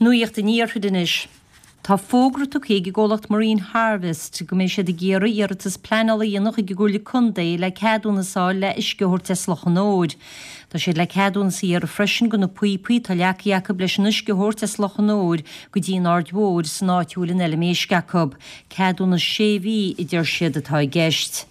Nuacht an Iarthair anois. Tá fógra tugtha ag an gcomhlacht Marine Harvest go mbeidh siad ag iarraidh iarratas pleanála a dhéanamh chuig an gComhairle Contae le ceadúnas a fháil le uisce a thabhairt as Loch an Óir. Tá siad le ceadúnas a iarraidh freisin do na píopaí atá leagtha acu leis an uisce a thabhairt as Loch an Óir go dtí an Aird Mhóir san áit a bhfuil an fheilm éisc acu. Ceadúnas sé mhí a deir siad atá i gceist.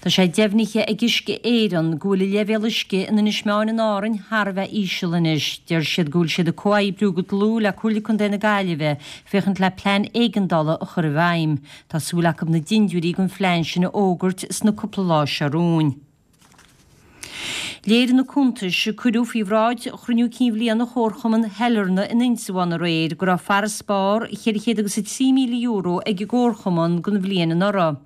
Tá sé deimhnithe ag Uisce Éireann go bhfuil an leibhéal uisce in Inis Meáin in Árainn thar a bheith íseal anois. Deir siad go bhfuil siad ag comhoibriú go dlúth le Comhairle Contae na Gaillimhe féachaint le plean éigeandála a chur i bhfeidhm. Tá súil acu na dindiúirí don phlean sin a fhógairt sna cúpla lá seo romhainn. Léirigh na cuntais a cuireadh faoi bhráid chruinniú cinn bhliana Chomharchumann Shailearna in Indreabhán aréir go raibh farasbarr €403,000 ag an gcomharchumann don bhliain anuraidh.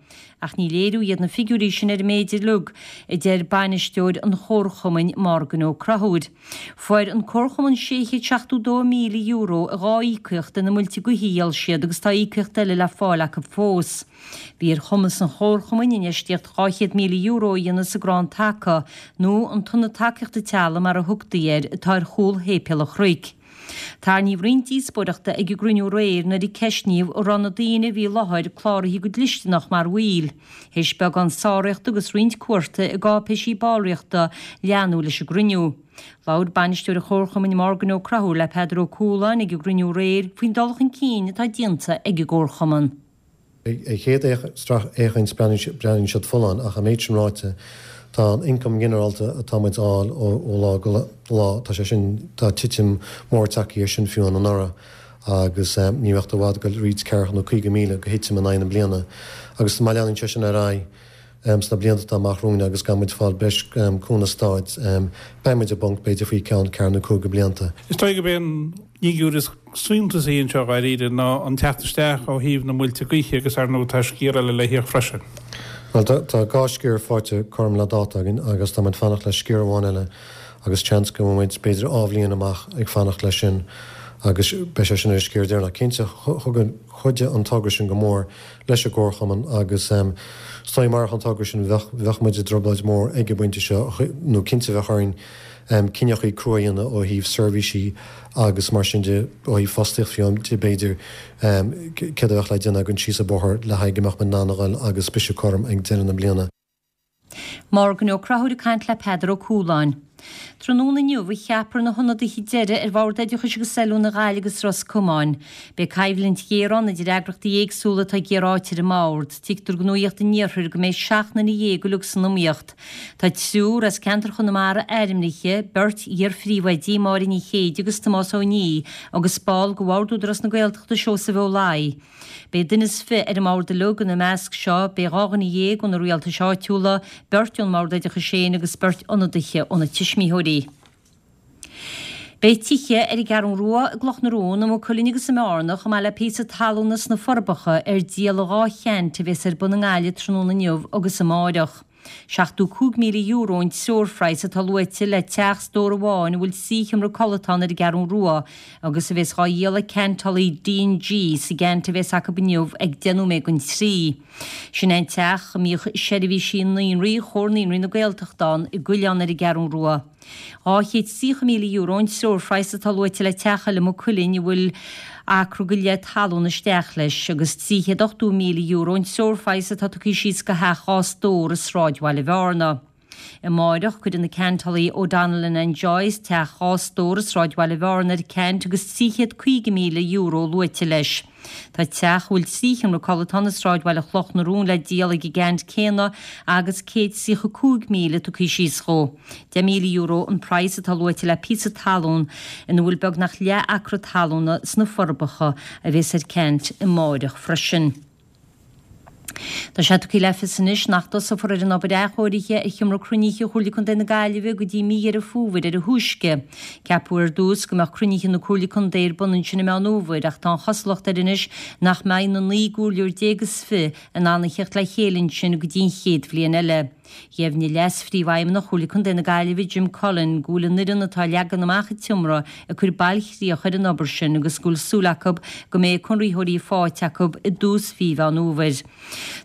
Ach ní léiriú iad na figiúirí sin ar an méid uilig, a deir bainisteoir an chomharchumainn Morgan Ó Conchúir. Fuair an comharchumann €672,000 i dhá íocaíocht de na muilte gaoithe a dhíol siad agus tá íocaíocht eile le fáil acu fós. Bhí ar chumas an chomharchumainn infheistíocht €200,000 a dhéanamh sa gcrann taca, nó an tIonad Tacaíochta Teaghlaigh mar a thugtaí air, atá ar chúl Shéipéal an Chnoic. Tarraingíodh roinnt díospóireachta ag an gcruinniú aréir nuair a ceistníodh an raibh na daoine a bhí i láthair cláraithe go dlisteanach mar bhaill. Théis beagán sáraíochta agus roinnt cuarta i gcáipéisí ballraíochta leanadh leis an gcruinniú. Labhair bainisteoir an Chomharchumainn Morgan Ó Conchúir le Peadar Ó Cualáin ag an gcruinniú aréir faoin dul chun cinn atá déanta ag an gcomharchumann. Ar chéad sracfhéachaint breathnaíonn siad folláin ach an méid sin ráite tá an ioncam ginearálta atá muid a fháil ó lá go lá, tá sé sin, tá titim mór tagtha air sin fiú anuraidh agus ní bheadh i bhfad ag dul roinnt ceathracha nó 50,000 go thitim in aghaidh na bliana agus má leanann sé sin ar aghaidh sna blianta atá amach romhainn agus gan muid fáil breis cúnamh stáit beidh muid i bponc b'fhéidir faoi ceann ceathair nó cúig blianta. Is dóigh gurb é an fhigiúr is suntasaí anseo dháiríre ná an teacht isteach ó thaobh na muilte gaoithe agus ar ndóigh tá sciar eile le híoc freisin. Bhuel tá dhá sciar faighte cothrom le dáta againn agus tá muid fanacht le sciar amháin eile agus seans go mbeidh muid b'fhéidir dhá bhliain amach ag fanacht leis sin agus beidh sé sin ar an sciar deireanach. Cinnte chuidigh an togra sin go mór leis an gcomharchumann agus is dóigh marach an togra sin bheadh bheadh muid i dtrioblóid mhór ag an bpointe seo nó cinnte bheadh orainn cinneachaí crua a dhéanamh ó thaobh seirbhísí agus mar sin de, ó thaobh fostaíocht fiú de b'fhéidir, céard a bheadh le déanamh againn síos an bóthar le haghaidh go mbeadh muid in ann a dhul agus briseadh cothrom ag deireadh na bliana. Morgan Ó Conchúir ag caint le Peadar Ó Cualáin. Tráthnóna inniu a cheapfar na hionadaithe deiridh ar Bhord Oideachais agus Oiliúna Ghaillimh agus Ros Comáin. Beidh coimhlint ghéar ann idir eagraíochtaí éagsúla atá ag iarraidh áit ar an mbord. Tuigtear do Nuacht an Iarthair go mbeidh 17 nduine uilig san iomaíocht. Tá triúr as ceantar Chonamara ainmnithe, beirt iar-phríomhoidí, Máire Ní Chéide agus Tomás Ó Nia, agus ball de Bhord Údarás na Gaeltachta, Seosamh Ó Laoi. Beidh duine is fi ar an mbord uilig, ina measc seo beidh 12 dhuine ó na rialtais áitiúla, beirt ón mBord Oideachais féin agus beirt ionadaithe ó na tuismitheoirí. Beidh tithe ar an gCeathrú Rua, i gCloch na Rón, i Maigh Cuilinn agus i mBearna, chomh maith le píosa talúna sna Forbacha ar díol i dhá cheant a bhéas ar bun i nGaillimh tráthnóna inniu agus amáireach. €75,000 an treoirphraghas atá luaite le teach stór amháin a bhfuil trí sheomra codlata ann ar an gCeathrú Rua agus a bhéas dhá dhíol ag ceantálaí D&G sa gceant a bhéas acu inniu ag 10 nóiméad don trí. Sin é an teach a mbíodh seirbhísí naíonraí Chomhar Naíonraí na Gaeltachta ann i gCuilleán ar an gCeathrú Rua. €230,000 an treoirphraghas atá luaite le teach eile i Maigh Cuilinn a bhfuil acra go leith talún isteach leis, agus €380,000 an treoirphraghas atá tugtha síos do theach dhá stór i sráidbhaile Bhearna. Amáireach, cuirfidh na ceantálaí O'Donnell and Joyce teach dhá stór i sráidbhaile Bhearna ar ceant agus €350,000 luaite leis. Tá teach a bhfuil trí sheomra codlata ann i sráidbhaile Chloch na Rón le díol ag an gceant céanna agus €135,000 tugtha síos dhó. €10,000 an praghas atá luaite le píosa talún ina bhfuil beagnach leath acra talúna sna Forbacha a bhéas ar ceant amáireach freisin. Tá sé tugtha le fios anois nach dtosófar ar an obair athchóirithe ar Sheomra Cruinnithe Chomhairle Contae na Gaillimhe go dtí mí Dheireadh Fómhair ar a thúisce. Ceapadh ar dtús go mbeadh cruinnithe na Comhairle Contae ar bun ansin i Meán Fhómhair ach tá an chosúlacht air anois nach mbeidh na naoi gcomhairleoir déag is fi in ann a theacht le chéile ansin go dtí an chéad bhliain eile. Dheimhnigh Leas-Phríomhfheidhmeannach Chomhairle Contae na Gaillimhe, Jim Cullen, go bhfuil an fhoireann atá ag leagan amach an tseomra ag cur bailchríoch ar an obair sin agus go bhfuil súil acu go mbeidh conraitheoirí faighte acu i dtús mhí Mheán Fhómhair.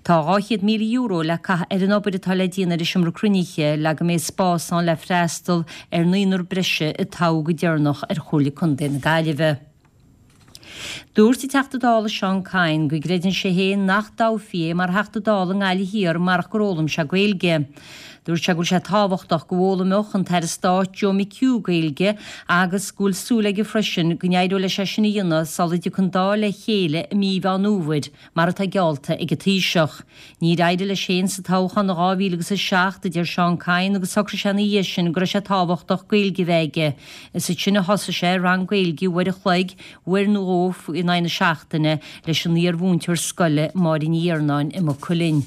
Tá €200,000 le caitheamh ar an obair atá le déanamh ar an seomra cruinnithe le go mbeidh spás ann le freastal ar naonúr breise a toghadh go deireanach ar Chomhairle Contae na Gaillimhe. Dúirt an Teachta Dála Seán Kyne go gcreideann sé féin nach dtoghfaí é mar Theachta Dála i nGaillimh Thiar marach gur fhoghlaim sé Gaeilge. Dúirt sé go bhfuil sé tábhachtach go bhfoghlaimeodh an tAire Stáit Joe McHugh Gaeilge agus go bhfuil súil aige freisin go n-éireoidh leis é sin a dhéanamh sula dtiocfaidh an Dáil le chéile i mí Mheán Fhómhair, mar atá geallta ag an Taoiseach. Níor éirigh leis féin sa toghchán in 2007, a deir Seán Kyne agus shocraigh sé ina dhiaidh sin go raibh sé tábhachtach Gaeilge a bheith aige. Is ansin a thosaigh sé rang Gaeilge uair a chloig, uair nó dhó in aghaidh na seachtaine, leis an iar-mhúinteoir scoile Máire Ní Iarnáin i Maigh Cuilinn.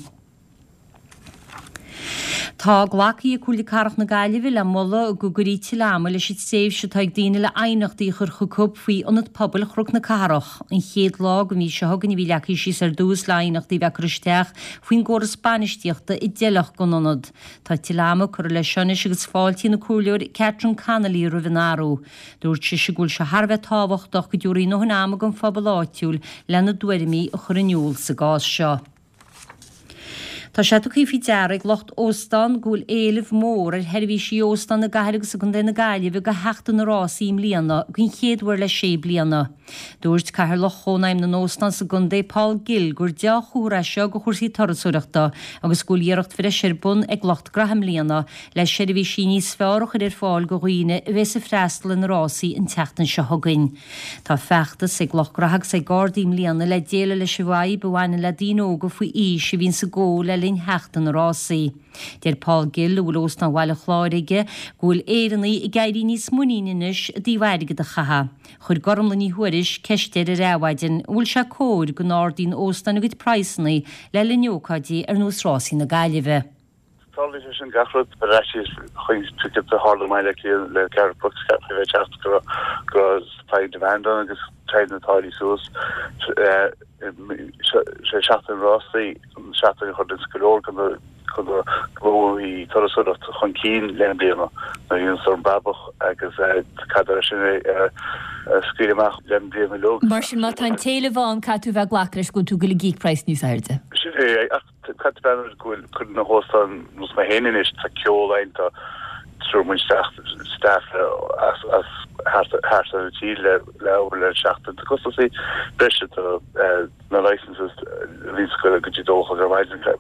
Tá glactha ag Comhairle Cathrach na Gaillimhe le moladh go gcuirfí tuilleadh ama leis an tréimhse atá ag daoine le aighneachtaí a chur chucu faoi Ionad Pobail Chnoc na Cathrach. An chéad lá den mhí seo chugainn a bhí leagtha síos ar dtús le aighneachtaí a bheith curtha isteach faoin gcóras bainistíochta a d'fheilfeadh don ionad. Tá tuilleadh ama curtha leis seo anois agus fáiltíonn an Comhairleoir Catherine Connolly roimh an athrú. Dúirt sise go bhfuil sé thar a bheith tábhachtach go dtabharfaí a ndóthain ama don phobal áitiúil lena dtuairimí a chur in iúl sa gcás seo. Tá sé tugtha faoi deara ag lucht óstán go bhfuil éileamh mór ar sheirbhísí óstán i gcathair agus i gcontae na Gaillimhe do Sheachtain na Rásaí i mbliana den chéad uair le sé bliana. Dúirt Cathaoirleach Chónaidhm na nÓstán sa gcontae, Paul Gill, gur deá-chomhartha é seo do chúrsaí turasóireachta agus go bhfuil iarracht bhreise ar bun ag lucht graithe i mbliana le seirbhísí níos fearr a chur ar fáil do dhaoine a bheas ag freastal ar na rásaí an tseachtain seo chugainn. Tá feachtas ag lucht graithe agus ag Gardaí i mbliana le déileáil leis an bhfadhb a bhaineann le daoine óga faoi aois a bhíonn ag ól le linn Sheachtain na Rásaí. Deir Paul Gill, a bhfuil Óstán Bhaile Chláir aige, go bhfuil Éireannaigh ag éirí níos muiníní anois i dtaobh airgead a chaitheamh. Chuir Gormlaith Ní Thuairisg ceist air ar Adhmhaidin an bhfuil sé cóir go n-ardaíonn óstáin a gcuid praghsanna le linn ócáidí ar nós Rásaí na Gaillimhe. Tarlaíonn sé sin gach rud ar fhaitíos chuig ticket a tharla i mBaile Átha Cliath le Garth Brooks ceapaim a bheith ag teacht go raibh go raibh supply and demand ann agus téann na táillí suas. Sé seachtain na rásaí an seachtain a chuireann go leor de na de na gnóthaí turasóireachta chun cinn le linn bliana nuair a bhíonn an brabach agus caithfear é sin a scaoileadh amach le linn bliana uilig. Mar sin má tá an t-éileamh ann caithfidh tú a bheith ag glacadh leis go bhfuil tú ag goil ag íoc praghas níos airde. Sin é ach Caithfidh tú breathnú air go bhfuil cuid de na hóstáin nós mé féin anois, tá ceol ann, tá triúr muid isteach staff as as thart thart ar an tír le le obair le seachtain. Tá costasaí breise tá na licenses a bhíonns ag goil go dtí dó a chlog ar maidin tá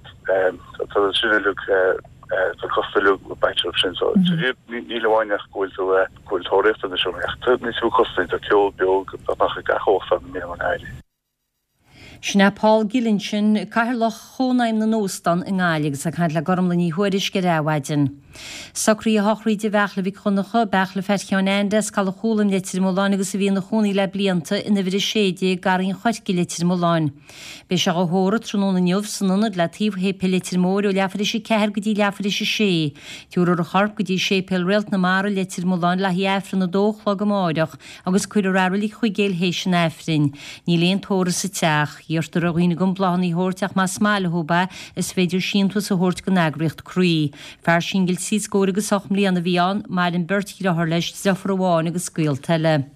sin uilig tá costas uilig bainte orthu sin so níl amháin ach go bhfuil tú go bhfuil tóraíocht anois ach tá níos mó costasaí tá ceol beo beagnach ag gach óstán i mbliana i nGaillimh. Sin é Paul Gill ansin, Cathaoirleach Chónaidhm na nÓstán i nGaillimh agus é ag caint le Gormlaith Ní Thuairisg ar Adhmhaidin. Socruithe shochraide Bheartla Mhic Dhonncha, Beartla Pheait Sheáin Ainde as Caladh Chúlaim, Leitir Mealláin agus a bhí ina chónaí le blianta in uimhir 16, Garraí an Choirce, Leitir Mealláin. Beidh sé dhá thórramh tráthnóna inniu san ionad le taobh Shéipéal Leitir Móir ó leathuair théis 4 go dtí leathuair théis 6. Tabharfar a chorp go dtí Séipéal Réalt na Mara, Leitir Mealláin le haghaidh Aifreann a dó a chlog amáireach agus cuirfear é i Reilig Chuigéil théis an Aifrinn. Níl aon tórramh sa teach. Iarrtar ar dhaoine gan bláthanna a thabhairt ach más maith leo é is féidir síntiús a thabhairt don eagraíocht Croí. Fear singil trí scór agus 8 mbliana a bhí ann, maireann beirt dhriotháir leis, driofúr amháin agus gaolta eile.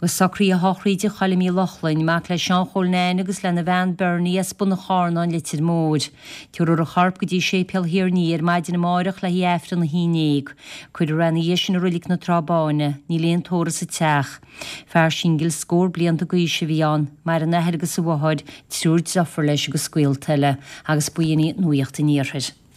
Agus socruithe shochraide Choilm Uí Lochlainn, mac le Seán Chóil Nain agus lena bhean Bernie as Bun an Charnáin, Leitir Móir. Tabharfar a chorp go dtí Séipéal Thír an Fhia ar maidin amáireach le haghaidh Aifreann 11. Cuirfear é ina dhiaidh sin i Roilig na Trá Báine. Níl aon tórramh sa teach. Fear singil scór blianta d'aois a bhí ann. Maireann a athair agus a mháthair, triúr driofúr leis agus gaolta eile. Agus b'in í Nuacht an Iarthair.